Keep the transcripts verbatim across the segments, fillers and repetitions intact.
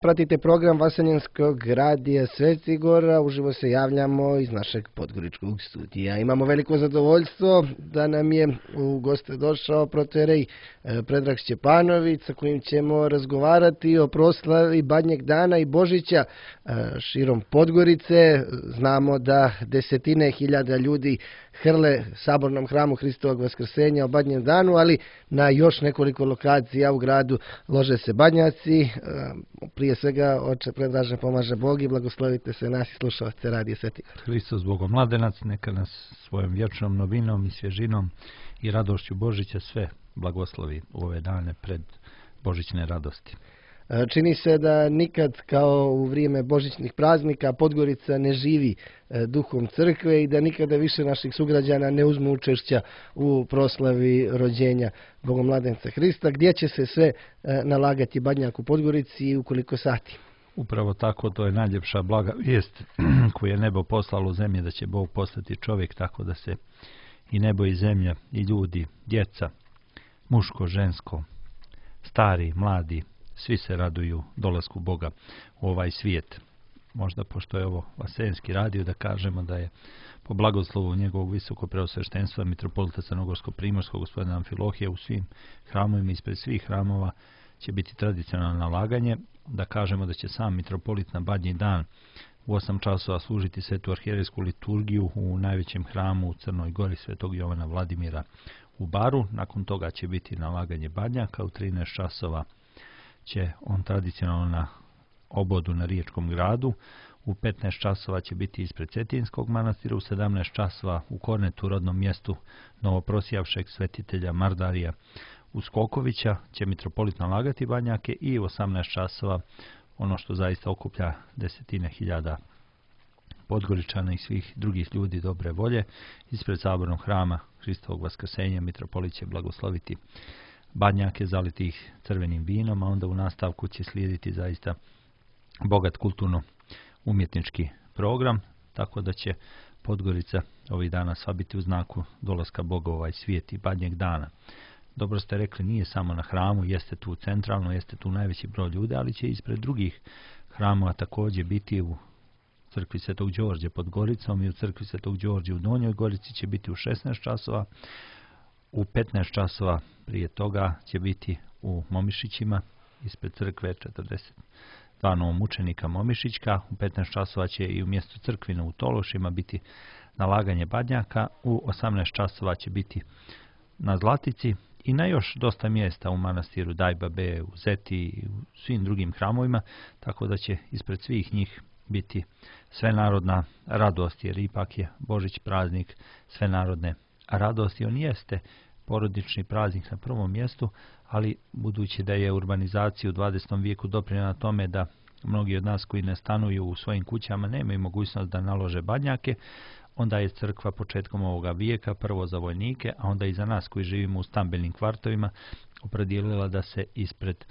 Pratite program Vaseljenskog radija Sveti Gora, uživo se javljamo iz našeg podgoričkog studija. Imamo veliko zadovoljstvo da nam je u goste došao protoijerej Predrag Šćepanović, sa kojim ćemo razgovarati o proslavi Badnjeg dana i Božića širom Podgorice. Znamo da desetine hiljada ljudi hrle sabornom hramu Hristovog Vaskrsenja o Badnjem danu, ali na još nekoliko lokacija u gradu lože se badnjaci. Prije svega, oče Predraže, pomaže Bog i blagoslovite se nas i slušalce radija Sveti Gora. Hristos Bogom mladenac, neka nas svojom vječnom novinom i svježinom i radošću Božića sve blagoslovi u ove dane pred božićne radosti. Čini se da nikad kao u vrijeme božićnih praznika Podgorica ne živi duhom crkve i da nikada više naših sugrađana ne uzmu učešća u proslavi rođenja Bogomladenca Hrista. Gdje će se sve nalagati badnjak u Podgorici i u koliko sati? Upravo tako, to je najljepša blaga vijest koju je nebo poslalo u zemlji, da će Bog poslati čovjek, tako da se i nebo i zemlja i ljudi, djeca, muško, žensko, stari, mladi, svi se raduju dolasku Boga u ovaj svijet. Možda, pošto je ovo Vaseljenski radio, da kažemo da je po blagoslovu njegovog visokog preosveštenstva mitropolita Crnogorsko-primorskog gospodina Amfilohija u svim hramovima, ispred svih hramova će biti tradicionalno nalaganje. Da kažemo da će sam mitropolit na Badnji dan u osam časova služiti svetu arhijerejsku liturgiju u najvećem hramu u Crnoj Gori Svetog Jovana Vladimira u Baru. Nakon toga će biti nalaganje badnjaka. U trinaest časova će on tradicionalno na obodu na Riječkom gradu. U petnaest časova će biti ispred Cetinskog manastira. U sedamnaest časova u Kornetu, rodnom mjestu novoprosjavšeg svetitelja Mardarija Uskokovića, će mitropolit nalagati badnjake. I u osamnaest časova ono što zaista okuplja desetine hiljada Podgoričana i svih drugih ljudi dobre volje, ispred sabornog hrama Hristovog Vaskrsenja mitropolit će blagosloviti badnjake zalitih crvenim vinom, a onda u nastavku će slijediti zaista bogat kulturno-umjetnički program, tako da će Podgorica ovih dana sva biti u znaku dolaska Boga u ovaj svijet i Badnjeg dana. Dobro ste rekli, nije samo na hramu, jeste tu centralno, jeste tu najveći broj ljudi, ali će ispred drugih hramova također biti u crkvi Svetog Đorđa pod Goricom i u crkvi Svetog Đorđa u Donjoj Gorici će biti u šesnaest časova. U petnaest časova prije toga će biti u Momišićima, ispred crkve četrdeset dva novomučenika Momišićka. U petnaest časova će i u mjestu Crkvina u Tološima biti nalaganje badnjaka. U osamnaest časova će biti na Zlatici i na još dosta mjesta u manastiru Dajbabe, u Zeti i u svim drugim hramovima, tako da će ispred svih njih biti svenarodna radost, jer ipak je Božić praznik svenarodne radosti. On jeste porodični praznik na prvom mjestu, ali budući da je urbanizacija u dvadesetom vijeku doprinijela tome da mnogi od nas koji ne stanuju u svojim kućama nemaju mogućnost da nalože badnjake, onda je crkva početkom ovoga vijeka, prvo za vojnike, a onda i za nas koji živimo u stambenim kvartovima, opredijelila da se ispred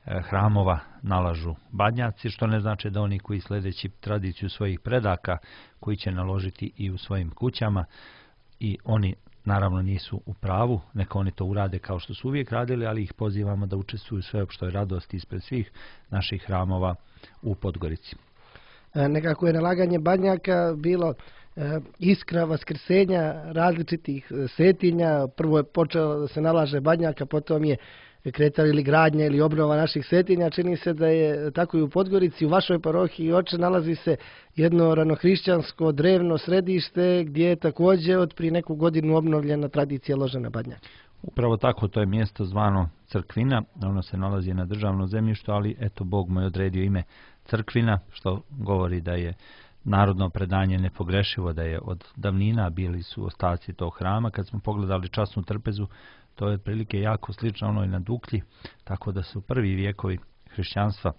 hramova nalažu badnjaci, što ne znači da oni koji sljedeći tradiciju svojih predaka, koji će naložiti i u svojim kućama, i oni naravno nisu u pravu, neka oni to urade kao što su uvijek radili, ali ih pozivamo da učestvuju u sveopštoj radosti ispred svih naših hramova u Podgorici. Nekako je nalaganje badnjaka bilo iskra vaskrsenja različitih svetinja. Prvo je počelo da se nalaže badnjaka, potom je kretala ili gradnja ili obnova naših svetinja. Čini se da je tako i u Podgorici. U vašoj parohiji, oče, nalazi se jedno ranohrišćansko drevno središte gdje je također od prije neku godinu obnovljena tradicija ložena badnjaka. Upravo tako, to je mjesto zvano Crkvina. Ono se nalazi na državnom zemljištu, ali eto, Bog mu je odredio ime Crkvina, što govori da je narodno predanje nepogrešivo, da je od davnina bili su ostaci tog hrama. Kad smo pogledali časnu trpezu, to je otprilike jako slično onoj na Duklji, tako da su prvi vijekovi hrišćanstva,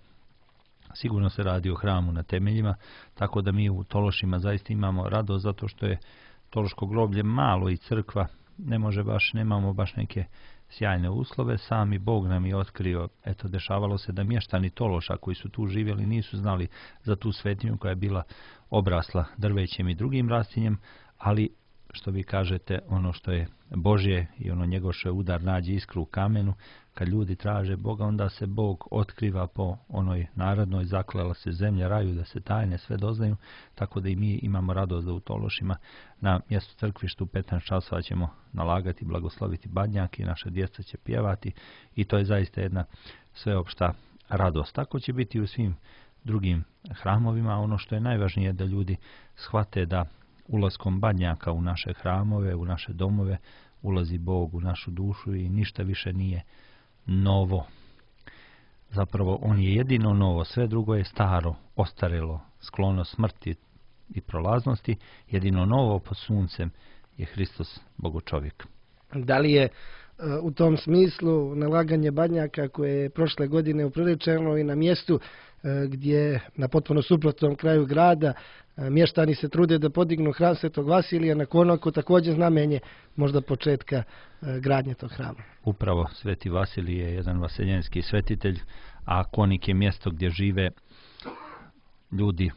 sigurno se radi o hramu na temeljima, tako da mi u Tološima zaista imamo radost, zato što je Tološko groblje malo i crkva ne može baš, nemamo baš neke sjajne uslove. Sami Bog nam je otkrio, eto, dešavalo se da mještani Tološa koji su tu živjeli nisu znali za tu svetinju koja je bila obrasla drvećem i drugim rastinjem, ali što vi kažete, ono što je Božje i ono njegov što je udar nađe iskru u kamenu, kad ljudi traže Boga, onda se Bog otkriva po onoj narodnoj, zaklela se zemlja raju, da se tajne sve doznaju, tako da i mi imamo radost da u Tološima na mjestu crkvištu u petnaest časova ćemo nalagati, blagosloviti badnjak i naša djeca će pjevati i to je zaista jedna sveopšta radost. Tako će biti u svim drugim hramovima. Ono što je najvažnije je da ljudi shvate da ulaskom badnjaka u naše hramove, u naše domove, ulazi Bog u našu dušu i ništa više nije novo. Zapravo on je jedino novo, sve drugo je staro, ostarelo, sklono smrti i prolaznosti. Jedino novo pod suncem je Hristos, Bogočovjek. Da li je u tom smislu nalaganje badnjaka koje je prošle godine upriličeno i na mjestu gdje na potpuno suprotnom kraju grada mještani se trude da podignu hram Svetog Vasilija na Konaku, također znamenje možda početka gradnje tog hrama? Upravo Sveti Vasilij je jedan vaseljenski svetitelj, a Konik je mjesto gdje žive ljudi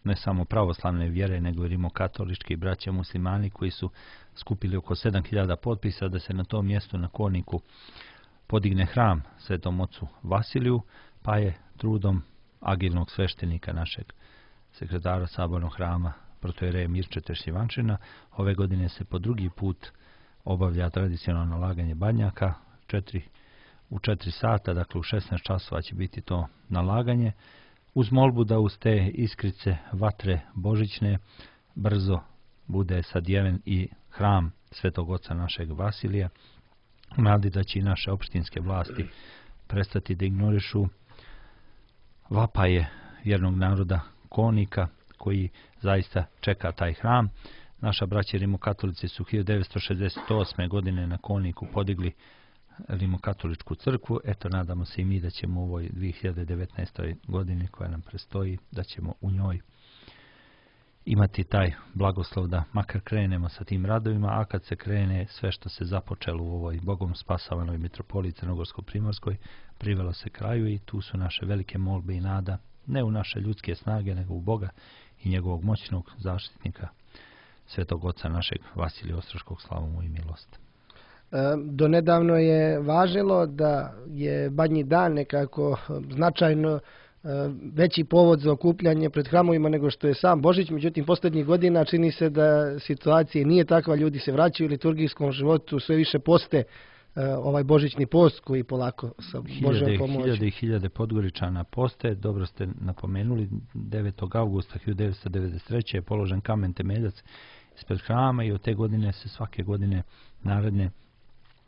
ne samo pravoslavne vjere, nego i rimokatolički braća muslimani koji su skupili oko sedam hiljada potpisa da se na tom mjestu na Koniku podigne hram Svetom ocu Vasiliju, pa je trudom agilnog sveštenika našeg sekretara sabornog hrama protojereja Mirče Teršljivančina ove godine se po drugi put obavlja tradicionalno nalaganje badnjaka četiri, u četiri sata, dakle u šesnaest časova će biti to nalaganje, uz molbu da uz te iskrice vatre božićne brzo bude sadjeven i hram Svetog oca našeg Vasilija, u nadi da će i naše opštinske vlasti prestati da ignorišu vapaje vjernog naroda Konika koji zaista čeka taj hram. Naša braća rimokatolici su hiljadu devetsto šezdeset osme godine na Koniku podigli rimokatoličku crkvu. Eto, nadamo se i mi da ćemo u ovoj dvije hiljade devetnaestoj godini koja nam prestoji, da ćemo u njoj imati taj blagoslov da makar krenemo sa tim radovima, a kad se krene sve što se započelo u ovoj Bogom spasavanoj mitropoliji Crnogorsko-Primorskoj privelo se kraju i tu su naše velike molbe i nada, ne u naše ljudske snage, nego u Boga i njegovog moćnog zaštitnika, Svetog oca našeg Vasilija Ostroškog, slavu mu i milost. Do nedavno je važilo da je Badnji dan nekako značajno veći povod za okupljanje pred hramovima nego što je sam Božić, međutim posljednjih godina čini se da situacija nije takva, ljudi se vraćaju u liturgijskom životu, sve više poste ovaj božićni post koji polako sa Božjom pomoći. Hiljade i hiljade Podgoričana poste, dobro ste napomenuli, devetog augusta hiljadu devetsto devedeset treće je položen kamen temeljac ispred hrama i od te godine se svake godine naredne,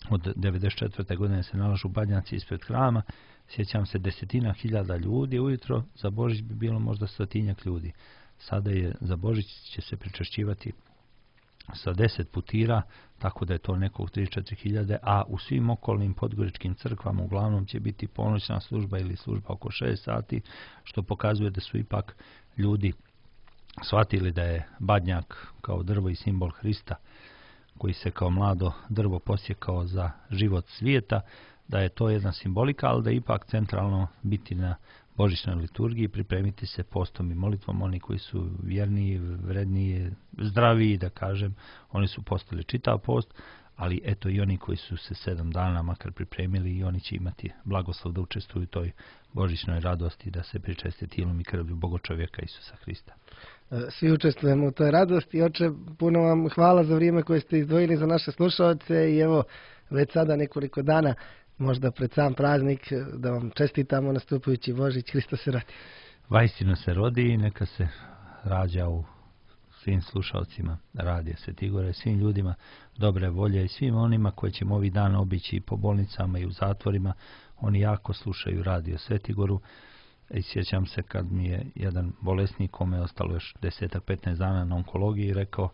od devedeset četvrte godine se nalažu badnjaci ispred hrama. Sjećam se desetina hiljada ljudi ujutro, za Božić bi bilo možda stotinjak ljudi. Sada je za Božić će se pričešćivati sa deset putira, tako da je to nekog tri do četiri hiljade, a u svim okolnim podgoričkim crkvama uglavnom će biti ponoćna služba ili služba oko šest sati, što pokazuje da su ipak ljudi shvatili da je badnjak kao drvo i simbol Hrista, koji se kao mlado drvo posjekao za život svijeta, da je to jedna simbolika, ali da je ipak centralno biti na božićnoj liturgiji, pripremiti se postom i molitvom. Oni koji su vjerniji, vredniji, zdraviji, da kažem, oni su postali čitav post, ali eto i oni koji su se sedam dana makar pripremili i oni će imati blagoslov da učestvuju u toj božićnoj radosti, da se pričeste tijelom i krvlju Bogočovjeka Isusa Hrista. Svi učestvujemo u toj radosti. Oče, puno vam hvala za vrijeme koje ste izdvojili za naše slušalce i evo već sada nekoliko dana, možda pred sam praznik, da vam čestitamo nastupajući Božić. Hristos se rodi. Vaistinu se rodi i neka se rađa u svim slušalcima radija Sveti Gore, svim ljudima dobre volje i svim onima koji ćemo ovih dana obići po bolnicama i u zatvorima. Oni jako slušaju radio Sveti Goru. I sjećam se kad mi je jedan bolesnik, kome je ostalo još deset petnaest dana na onkologiji, rekao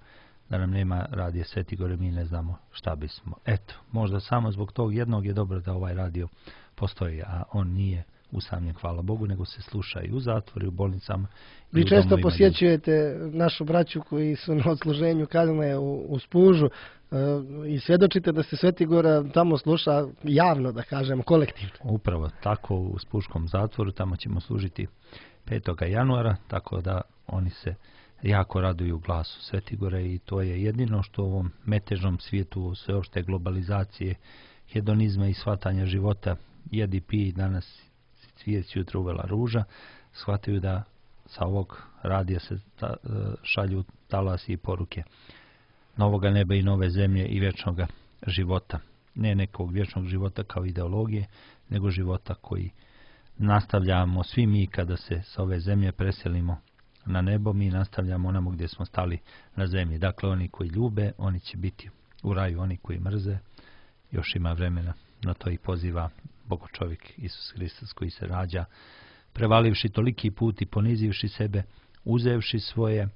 da nam nema radija Sveti Gore, mi ne znamo šta bismo. Eto, možda samo zbog tog jednog je dobro da ovaj radio postoji, a on nije usamljen, hvala Bogu, nego se sluša i u zatvoru, i u bolnicama. Vi često posjećujete našu braću koji su na odsluženju kazne u, u Spužu e, i svjedočite da se Sveti Gora tamo sluša javno, da kažemo, kolektivno. Upravo tako, u Spuškom zatvoru, tamo ćemo služiti petog januara, tako da oni se jako raduju glasu Sveti Gore i to je jedino što u ovom metežnom svijetu, sveopšte globalizacije hedonizma i shvatanja života, jedi, pij, danas cvijet, jutro uvela ruža, shvataju da sa ovog radija se ta, šalju talasi i poruke novoga neba i nove zemlje i vječnog života. Ne nekog vječnog života kao ideologije, nego života koji nastavljamo svi mi kada se s ove zemlje preselimo na nebo, mi nastavljamo onamo gdje smo stali na zemlji. Dakle, oni koji ljube, oni će biti u raju, oni koji mrze, još ima vremena, na to i poziva Bogo čovjek Isus Hristos koji se rađa, prevalivši toliki put i ponizivši sebe, uzevši svoje,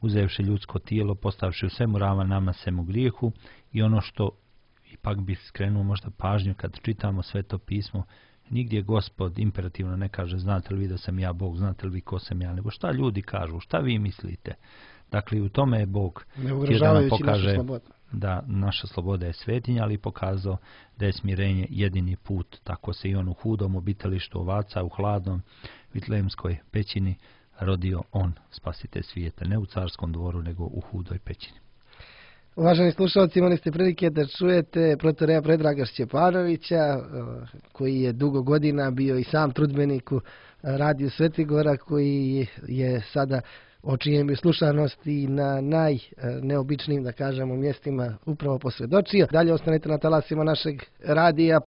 uzevši ljudsko tijelo, postavši u svemu ravan nama svemu grijehu, i ono što ipak bi skrenuo možda pažnju kad čitamo Sveto pismo, nigdje Gospod imperativno ne kaže znate li vi da sam ja Bog, znate li vi ko sam ja, nego šta ljudi kažu, šta vi mislite. Dakle, u tome je Bog htio da nam pokaže da naša sloboda je svetinja, ali pokazao da je smirenje jedini put. Tako se i on u hudom obitalištu ovaca, u hladnom Vitlejemskoj pećini rodio on, spasitelj svijeta, ne u carskom dvoru, nego u hudoj pećini. Uvaženi slušalci, imali ste prilike da čujete protoreja Predraga Šćepanovića, koji je dugo godina bio i sam trudbenik u radiju Svetigora, koji je sada o čijem bi slušanosti na najneobičnijim, da kažemo, mjestima upravo posvjedočio. Dalje ostanete na talasima našeg radija.